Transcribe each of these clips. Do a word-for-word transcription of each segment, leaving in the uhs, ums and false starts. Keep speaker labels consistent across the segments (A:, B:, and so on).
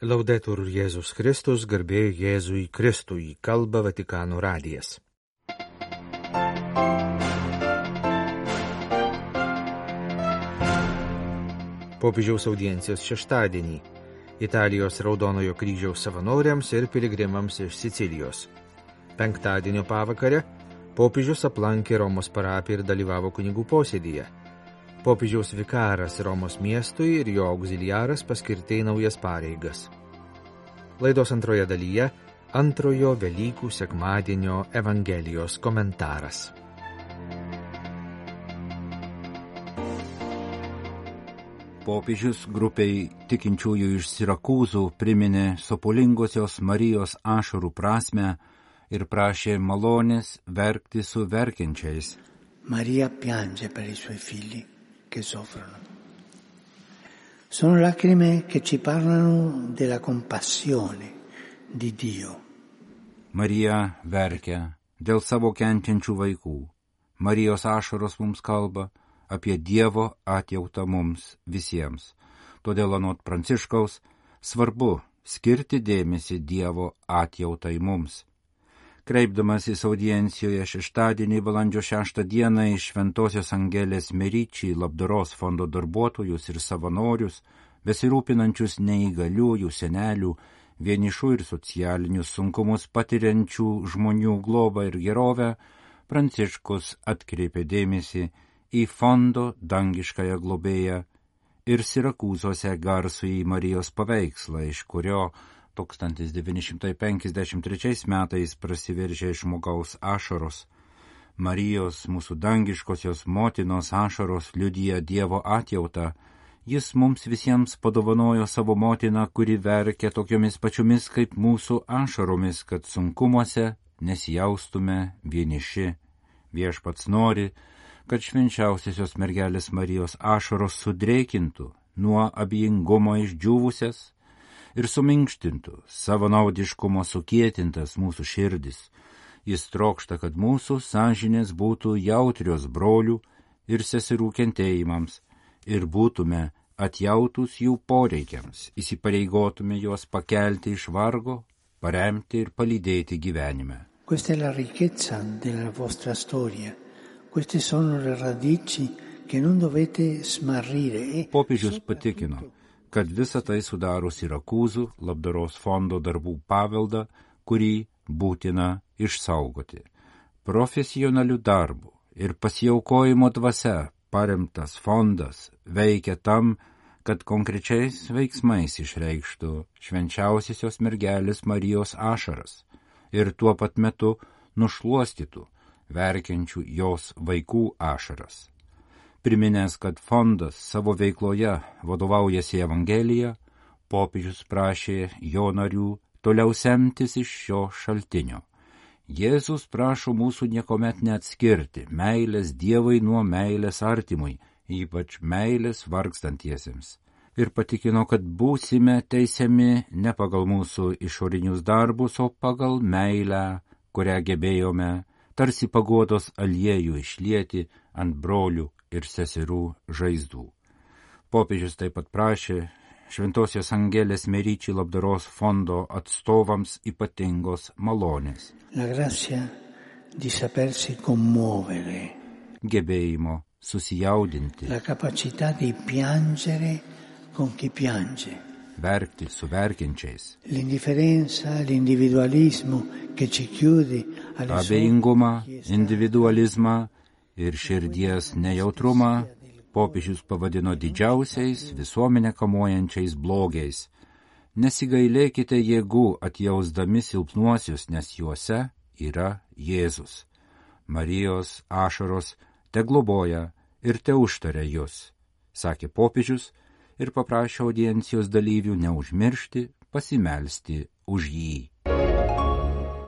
A: Laudetur Jėzus Kristus, garbė Jėzui Kristui, kalba Vatikano radijas. Popiežiaus audiencijos šeštadienį Italijos Raudonojo kryžiaus savanoriams ir piligrimams iš Sicilijos. Penktadienio pavakare popiežius aplankė Romos parapiją ir dalyvavo kunigų posėdyje. Popiežiaus vikaras Romos miestui ir jo auxiliaras paskirti į naujas pareigas. Laidos antroje dalyje antrojo Velykų sekmadienio Evangelijos komentaras.
B: Popiežius grupiai tikinčiųjų iš Sirakūzų priminė sopulingosios Marijos ašarų prasmę ir prašė malonės verkti su verkiančiais.
C: Maria piange per i suoi figli che soffrono. Sono lacrime che ci parlano della compassione di Dio.
B: Marija verkia dėl savo kenčiančių vaikų. Marijos ašaros mums kalba apie Dievo atjautą mums visiems. Todėl anot Pranciškaus svarbu skirti dėmesį Dievo atjautai mums. Kreipdamasis audiencijoje šeštadienį balandžio šeštą dieną iš Šventosios Angelės Meriči labdaros fondo darbuotojus ir savanorius, besirūpinančius neįgaliųjų, senelių, vienišų ir socialinius sunkumus patiriančių žmonių globą ir gerovę, Pranciškus atkreipė dėmesį į fondo dangiškąją globėją ir Sirakūzuose garsųjį Marijos paveikslą, iš kurio tūkstantis devyni šimtai penkiasdešimt trečiais metais prasiveržė žmogaus ašaros. Marijos, mūsų dangiškosios motinos ašaros liudija Dievo atjautą. Jis mums visiems padovanojo savo motiną, kuri verkia tokiomis pačiomis kaip mūsų ašaromis, kad sunkumuose nesijaustume vieniši. Viešpats nori, kad švenčiausiosios mergelės Marijos ašaros sudrėkintų nuo abejingumo išdžiūvusias ir suminkštintų savo naudiškumo sukietintas mūsų širdis. Jis trokšta, kad mūsų sąžinės būtų jautrios brolių ir seserų kentėjimams ir būtume atjautus jų poreikiams, įsipareigotume juos pakelti iš vargo, paremti ir palydėti gyvenime.
C: Questa è la ricchezza della vostra storia. Queste sono le radici che non dovete smarrire.
B: Popiežius patikino, kad visa tai sudaro Sirakūzų labdaros fondo darbų paveldą, kurį būtina išsaugoti. Profesionalių darbų ir pasiaukojimo dvasia paremtas fondas veikia tam, kad konkrečiais veiksmais išreikštų švenčiausiosios mergelės Marijos ašaras ir tuo pat metu nušluostytų verkiančių jos vaikų ašaras. Priminęs, kad fondas savo veikloje vadovaujasi Evangelija, popiežius prašė jo narių toliau semtis iš šio šaltinio. Jėzus prašo mūsų niekuomet neatskirti meilės Dievui nuo meilės artimui, ypač meilės vargstantiesiems. Ir patikino, kad būsime teisiami ne pagal mūsų išorinius darbus, o pagal meilę, kurią gebėjome tarsi paguodos aliejų išlieti ant brolių ir seserų žaizdų. Popiežius taip pat prašė Šventosios Angelės Meriči labdaros fondo atstovams ypatingos malonės.
C: La grazia di sapersi commuovere.
B: Gebėjimo susijaudinti.
C: La capacità di piangere con chi piange.
B: Verkti su verkiančiais.
C: L'indifferenza, l'individualismo che ci chiude alle
B: Abejingumą, individualizmą ir širdies nejautrumą popiežius pavadino didžiausiais visuomenę kamuojančiais blogiais. Nesigailėkite jėgų atjausdami silpnuosius, nes juose yra Jėzus. Marijos ašaros te globoja ir te užtaria jūs, sakė popiežius ir paprašė audiencijos dalyvių neužmiršti pasimelsti už jį.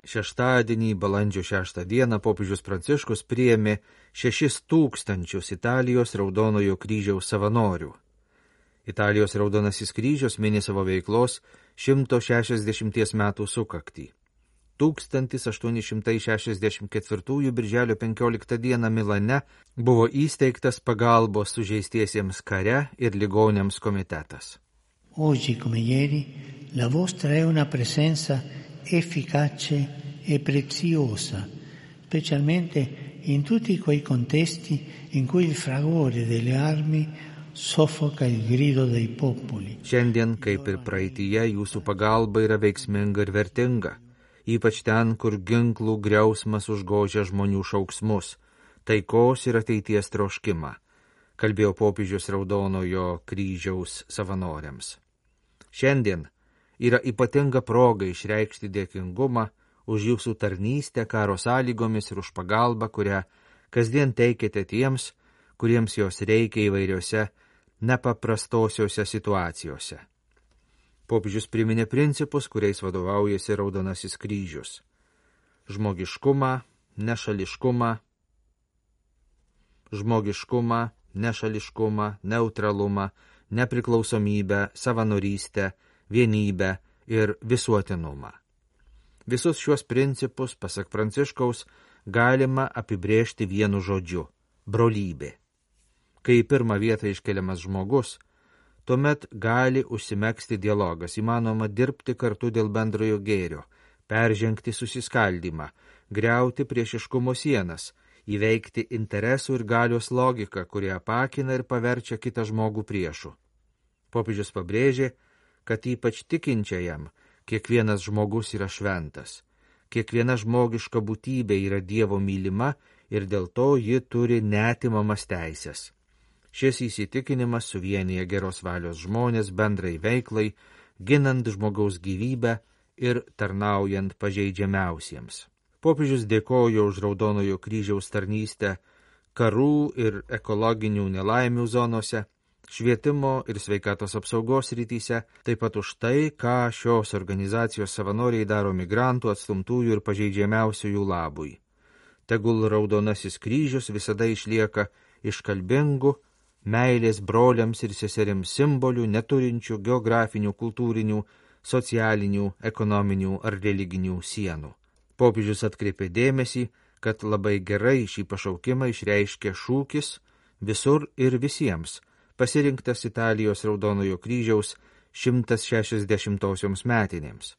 A: Šeštadienį, balandžio šeštą dieną, popiežius Pranciškus priėmė šešis tūkstančius Italijos Raudonojo kryžiaus savanorių. Italijos Raudonasis kryžius mini savo veiklos šimto šešiasdešimties metų sukaktį. tūkstantis aštuoni šimtai šešiasdešimt ketvirtųjų birželio penkioliktą dieną Milane buvo įsteigtas pagalbos sužeistiesiems kare ir ligoniams komitetas.
C: Oggi come ieri la vostra è una presenza efficace e preziosa, specialmente in tutti quei contesti in cui il fragore delle armi soffoca il grido dei popoli.
A: Šiandien, kaip ir praeityje, jūsų pagalba yra veiksminga ir vertinga, ypač ten, kur ginklų griausmas užgožia žmonių šauksmus, taikos ir ateities troškimą, kalbėjo popiežius Raudonojo kryžiaus savanoriams. Šiandien yra ypatinga proga išreikšti dėkingumą už jūsų tarnystę karo sąlygomis ir už pagalbą, kurią kasdien teikėte tiems, kuriems jos reikia įvairiose nepaprastosiuose situacijose. Popiežius priminė principus, kuriais vadovaujasi Raudonasis kryžius. Žmogiškumą, nešališkumą, žmogiškumą, nešališkumą, neutralumą, nepriklausomybę, savanorystę, vienybę ir visuotinumą. Visus šiuos principus, pasak Pranciškaus, galima apibrėžti vienu žodžiu – brolybė. Kai į pirmą vietą iškeliamas žmogus, tuomet gali užsimegzti dialogas, įmanoma dirbti kartu dėl bendrojo gėrio, peržengti susiskaldymą, griauti priešiškumo sienas, įveikti interesų ir galios logiką, kurie apakina ir paverčia kitą žmogų priešu. Popiežius pabrėžė, kad ypač tikinčiajam kiekvienas žmogus yra šventas, kiekviena žmogiška būtybė yra Dievo mylima ir dėl to ji turi neatimamas teisės. Šis įsitikinimas suvienyje geros valios žmonės bendrai veiklai, ginant žmogaus gyvybę ir tarnaujant pažeidžiamiausiems. Popiežius dėkojo už Raudonojo kryžiaus tarnystę karų ir ekologinių nelaimių zonose, švietimo ir sveikatos apsaugos rytyse, taip pat už tai, ką šios organizacijos savanoriai daro migrantų, atstumtųjų ir pažeidžiamiausiųjų labui. Tegul Raudonasis kryžius visada išlieka iškalbingu, meilės broliams ir seserims simbolių, neturinčių geografinių, kultūrinių, socialinių, ekonominių ar religinių sienų. Popiežius atkreipė dėmesį, kad labai gerai šį pašaukimą išreiškė šūkis visur ir visiems, pasirinktas Italijos Raudonojo kryžiaus šimtas šešiasdešimtosioms metinėms.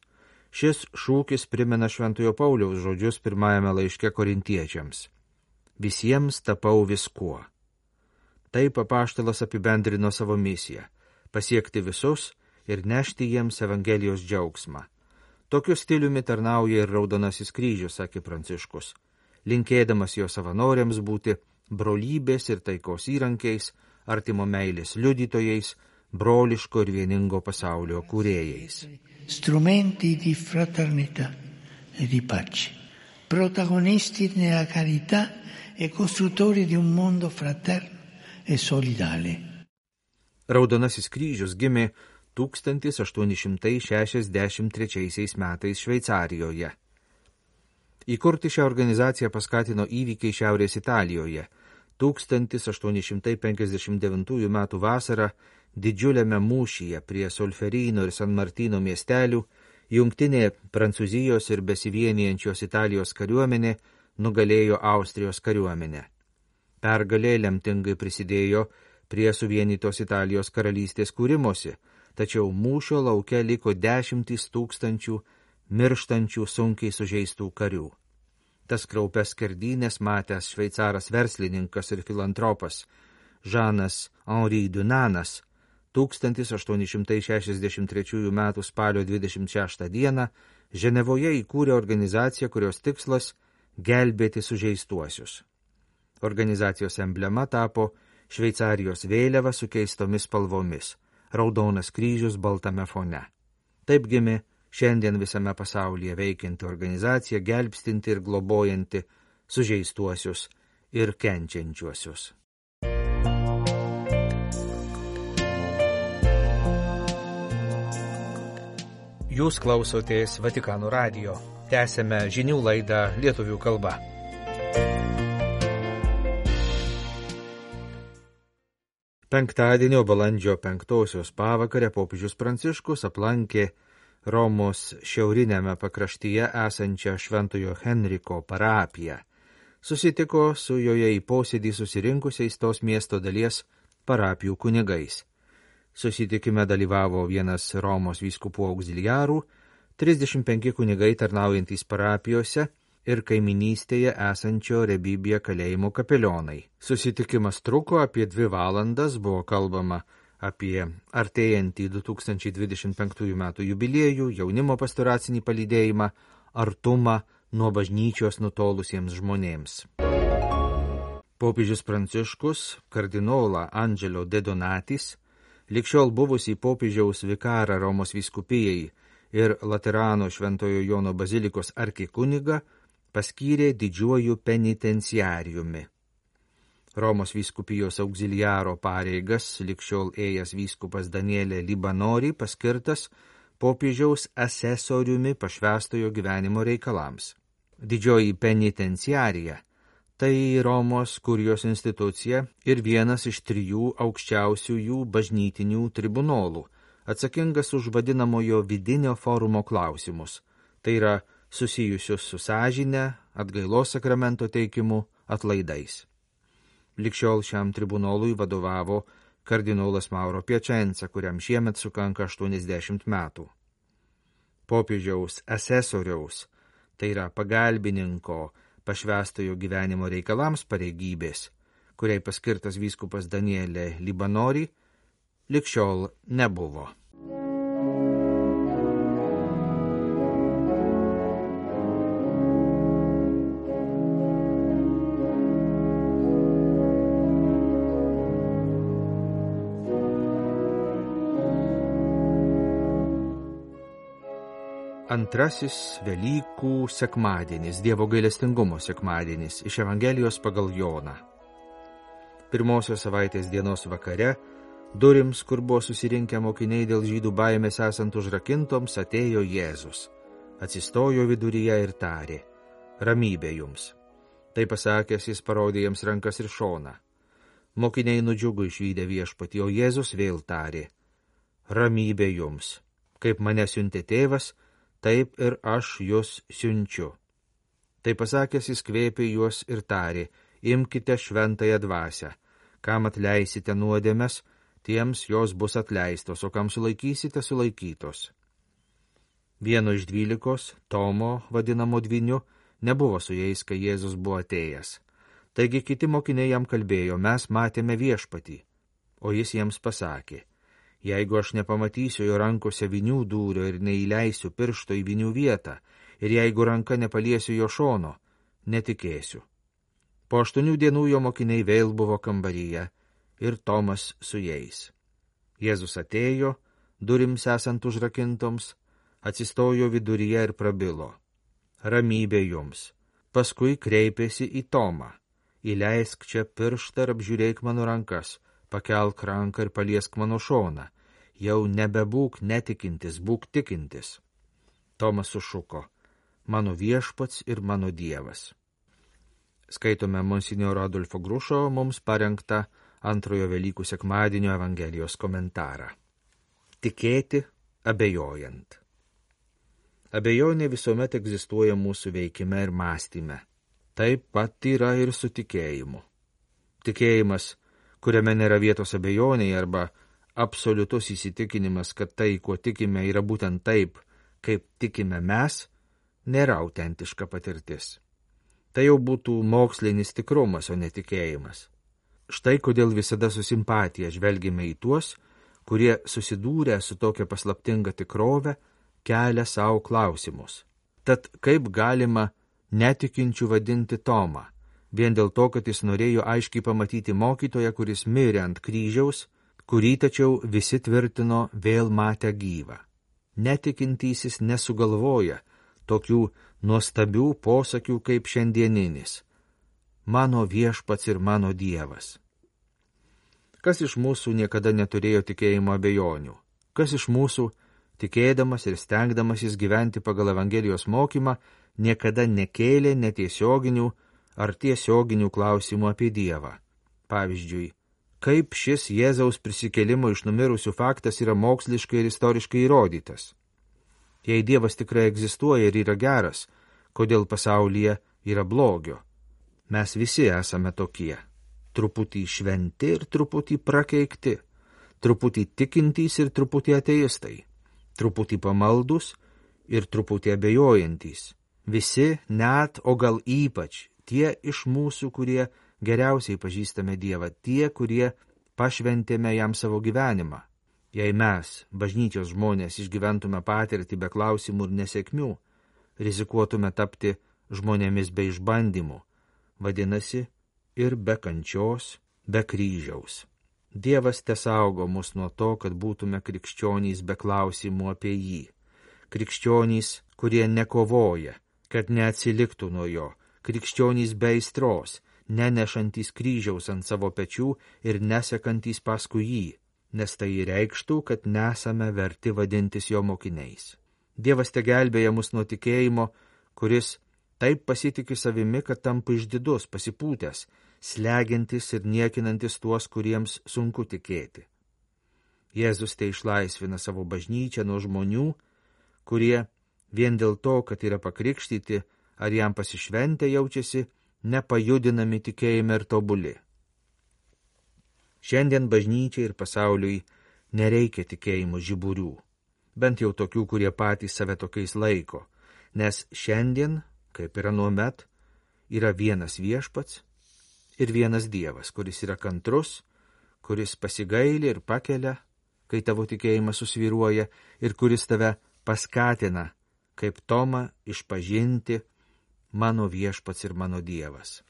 A: Šis šūkis primena Šventojo Pauliaus žodžius pirmajame laiške korintiečiams. Visiems tapau viskuo. Taip apaštalas apibendrino savo misiją – pasiekti visus ir nešti jiems Evangelijos džiaugsmą. Tokiu stiliumi tarnauja ir Raudonasis kryžius, sakė Pranciškus, linkėdamas jo savanoriams būti brolybės ir taikos įrankiais, artimo meilės liudytojais, broliško ir vieningo pasaulio kūrėjais.
C: Strumenti di fraternità e di pace, protagonisti nella carità e costruttori di un mondo fraterno e solidale.
A: Raudonasis kryžius gimė tūkstantis aštuoni šimtai šešiasdešimt trečiaisiais metais Šveicarijoje. Įkurti šią organizaciją paskatino įvykiai Šiaurės Italijoje. tūkstantis aštuoni šimtai penkiasdešimt devintųjų metų vasarą didžiuliame mūšyje prie Solferino ir San Martino miestelių jungtinė Prancūzijos ir besivienijančios Italijos kariuomenė nugalėjo Austrijos kariuomenę. Pergalė lemtingai prisidėjo prie suvienytos Italijos karalystės kūrimosi, tačiau mūšio lauke liko dešimtys tūkstančių mirštančių sunkiai sužeistų karių. Tas kraupes skerdynės matęs šveicaras verslininkas ir filantropas Žanas Henri Dunanas tūkstantis aštuoni šimtai šešiasdešimt trečiųjų metų spalio dvidešimt šeštą dieną Ženevoje įkūrė organizaciją, kurios tikslas – gelbėti sužeistuosius. Organizacijos emblema tapo Šveicarijos vėliava su keistomis spalvomis – Raudonas kryžius baltame fone. Taip gimė šiandien visame pasaulyje veikianti organizacija, gelbstinti ir globojanti sužeistuosius ir kenčiančiuosius. Jūs klausotės Vatikano radijo. Tęsėme žinių laidą lietuvių kalba. Penktadienio balandžio penktosios pavakarę popiežius Pranciškus aplankė Romos šiaurinėme pakraštyje esančią Šventojo Henriko parapiją. Susitiko su joje į posėdį susirinkusiais tos miesto dalies parapijų kunigais. Susitikime dalyvavo vienas Romos vyskupų auxiliarų, trisdešimt penki kunigai tarnaujantys parapijose ir kaiminystėje esančio Rebibija kalėjimo kapelionai. Susitikimas truko apie dvi valandas, buvo kalbama apie artėjantį du tūkstančiai dvidešimt penktųjų metų jubiliejų, jaunimo pastoracinį palydėjimą, artumą nuo bažnyčios nutolusiems žmonėms. Popiežius Pranciškus kardinolą Angelo De Donatis, likščiol buvusį popiežiaus vikarą Romos vyskupijai ir Laterano Šventojo Jono bazilikos arkikunigą, paskyrė didžiuoju penitenciariumi. Romos vyskupijos auxiliaro pareigas likščiol ėjęs vyskupas Danielė Libanori paskirtas popiežiaus asesoriumi pašvęstojo gyvenimo reikalams. Didžioji penitenciarija – tai Romos kurijos institucija ir vienas iš trijų aukščiausiųjų bažnytinių tribunolų, atsakingas už vadinamojo vidinio forumo klausimus, tai yra susijusius su sąžine, atgailos sakramento teikimu, atlaidais. Likščiol šiam tribunolui vadovavo kardinolas Mauro Piacenza, kuriam šiemet sukanka aštuoniasdešimt metų. Popiežiaus asesoriaus, tai yra pagalbininko, pašvęstojo gyvenimo reikalams pareigybės, kuriai paskirtas vyskupas Danielė Libanori, likščiol nebuvo. Antrasis Velykų sekmadienis, Dievo gailestingumo sekmadienis, iš Evangelijos pagal Joną. Pirmosios savaitės dienos vakare, durims, kur buvo susirinkę mokiniai dėl žydų baimės esant užrakintoms, atėjo Jėzus. Atsistojo viduryje ir tarė: ramybė jums. Tai pasakęs, jis parodė jiems rankas ir šoną. Mokiniai nudžiugo išvydę viešpatį, o Jėzus vėl tarė: ramybė jums. Kaip mane siuntė tėvas, taip ir aš jūs siunčiu. Tai pasakęs, jis kvėpė juos ir tarė: imkite šventąją dvasią, kam atleisite nuodėmes, tiems jos bus atleistos, o kam sulaikysite, sulaikytos. Vieno iš dvylikos, Tomo, vadinamo dvyniu, nebuvo su jais, kai Jėzus buvo atėjęs. Taigi kiti mokiniai jam kalbėjo: mes matėme viešpatį. O jis jiems pasakė: jeigu aš nepamatysiu jo rankose vinių dūrio ir neįleisiu piršto į vinių vietą, ir jeigu ranka nepaliesiu jo šono, netikėsiu. Po aštuonių dienų jo mokiniai vėl buvo kambaryje, ir Tomas su jais. Jėzus atėjo, durims esant užrakintoms, atsistojo viduryje ir prabilo: ramybė jums. Paskui kreipėsi į Tomą: įleisk čia pirštą ir apžiūrėk mano rankas, pakelk ranką ir paliesk mano šoną. Jau nebebūk netikintis, būk tikintis. Tomas sušuko: mano viešpats ir mano Dievas. Skaitome monsinjoro Adolfo Grušo mums parengtą antrojo Velykų sekmadienio Evangelijos komentarą. Tikėti abejojant. Abejonė visuomet egzistuoja mūsų veikime ir mąstyme. Taip pat yra ir su tikėjimu. Tikėjimas, kuriame nėra vietos abejoniai, arba absoliutus įsitikinimas, kad tai, kuo tikime, yra būtent taip, kaip tikime mes, nėra autentiška patirtis. Tai jau būtų mokslinis tikrumas, o netikėjimas. Štai kodėl visada su simpatija žvelgime į tuos, kurie susidūrę su tokia paslaptinga tikrove, kelia savo klausimus. Tad kaip galima netikinčių vadinti Tomą, vien dėl to, kad jis norėjo aiškiai pamatyti mokytoją, kuris mirė ant kryžiaus, kurį tačiau visi tvirtino vėl matę gyvą. Netikintysis nesugalvoja tokių nuostabių posakių kaip šiandieninis: mano viešpats ir mano Dievas. Kas iš mūsų niekada neturėjo tikėjimo abejonių? Kas iš mūsų, tikėdamas ir stengdamasis gyventi pagal Evangelijos mokymą, niekada nekėlė netiesioginių ar tiesioginių klausimų apie Dievą? Pavyzdžiui, kaip šis Jėzaus prisikėlimo iš numirusių faktas yra moksliškai ir istoriškai įrodytas? Jei Dievas tikrai egzistuoja ir yra geras, kodėl pasaulyje yra blogio? Mes visi esame tokie. Truputį šventi ir truputį prakeikti. truputį tikintys ir truputį ateistai, truputį pamaldus ir truputį abejojantys. Visi, net, o gal ypač, tie iš mūsų, kurie geriausiai pažįstame Dievą, tie, kurie pašventėme jam savo gyvenimą. Jei mes, bažnyčios žmonės, išgyventume patirtį be klausimų ir nesėkmių, rizikuotume tapti žmonėmis be išbandymų, vadinasi, ir be kančios, be kryžiaus. Dievas tesaugo mus nuo to, kad būtume krikščionys be klausimų apie jį. Krikščionys, kurie nekovoja, kad neatsiliktų nuo jo. Krikščionys be aistros, nenešantys kryžiaus ant savo pečių ir nesekantys paskui jį, nes tai reikštų, kad nesame verti vadintis jo mokiniais. Dievas te gelbėja mus nuo tikėjimo, kuris taip pasitiki savimi, kad tampa išdidus, pasipūtęs, slegiantis ir niekinantis tuos, kuriems sunku tikėti. Jėzus te išlaisvina savo bažnyčią nuo žmonių, kurie vien dėl to, kad yra pakrikštyti ar jam pasišventę, jaučiasi nepajudinami tikėjime ir tobuli. Šiandien bažnyčiai ir pasauliui nereikia tikėjimo žiburių, bent jau tokių, kurie patys save tokiais laiko, nes šiandien, kaip ir anuomet, yra vienas viešpats ir vienas Dievas, kuris yra kantrus, kuris pasigaili ir pakelia, kai tavo tikėjimas susvyruoja, ir kuris tave paskatina, kaip Tomą, išpažinti mano viešpats ir mano Dievas.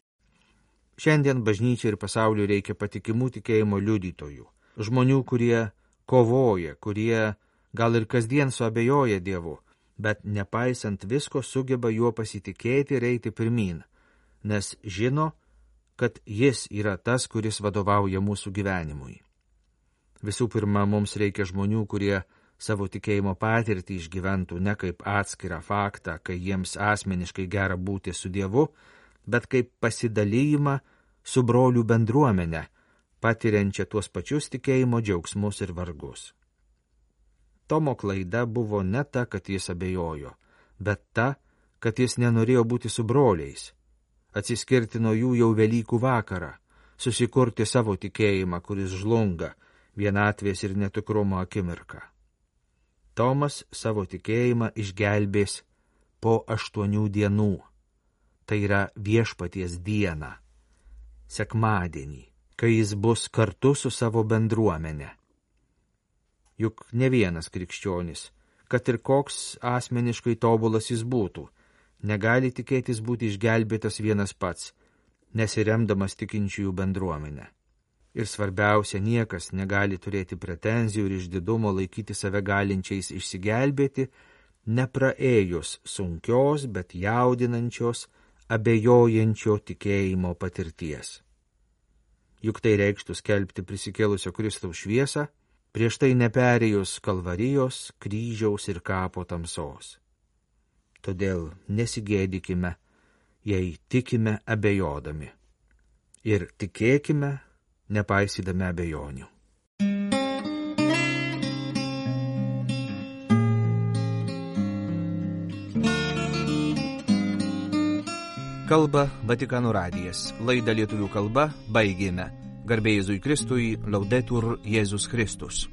A: Šiandien bažnyčiai ir pasauliui reikia patikimų tikėjimo liudytojų, žmonių, kurie kovoja, kurie gal ir kasdien suabejoja Dievu, bet nepaisant visko sugeba juo pasitikėti ir eiti pirmyn, nes žino, kad jis yra tas, kuris vadovauja mūsų gyvenimui. Visų pirma, mums reikia žmonių, kurie savo tikėjimo patirtį išgyventų ne kaip atskirą faktą, kai jiems asmeniškai gera būti su Dievu, bet kaip pasidalijimą su brolių bendruomenė, patiriančia tuos pačius tikėjimo džiaugsmus ir vargus. Tomo klaida buvo ne ta, kad jis abejojo, bet ta, kad jis nenorėjo būti su broliais, atsiskirti nuo jų jau Velykų vakarą, susikurti savo tikėjimą, kuris žlunga vienatvės ir netikrumo akimirką. Tomas savo tikėjimą išgelbės po aštuonių dienų, tai yra viešpaties dieną, sekmadienį, kai jis bus kartu su savo bendruomenė. Juk ne vienas krikščionis, kad ir koks asmeniškai tobulas jis būtų, negali tikėtis būti išgelbėtas vienas pats, nesiremdamas tikinčiųjų bendruomenę. Ir svarbiausia, niekas negali turėti pretenzijų ir išdidumo laikyti save galinčiais išsigelbėti, nepraėjus sunkios, bet jaudinančios, abejojančio tikėjimo patirties. Juk tai reikštų skelbti prisikėlusio Kristaus šviesą, prieš tai neperėjus Kalvarijos, kryžiaus ir kapo tamsos. Todėl nesigėdykime, jei tikime abejodami. Ir tikėkime, nepaisydami abejonių.
D: Kalba Vatikano radijas. Laidą lietuvių kalba baigėme. Garbė Jėzui Kristui, Laudetur Jėzus Kristus.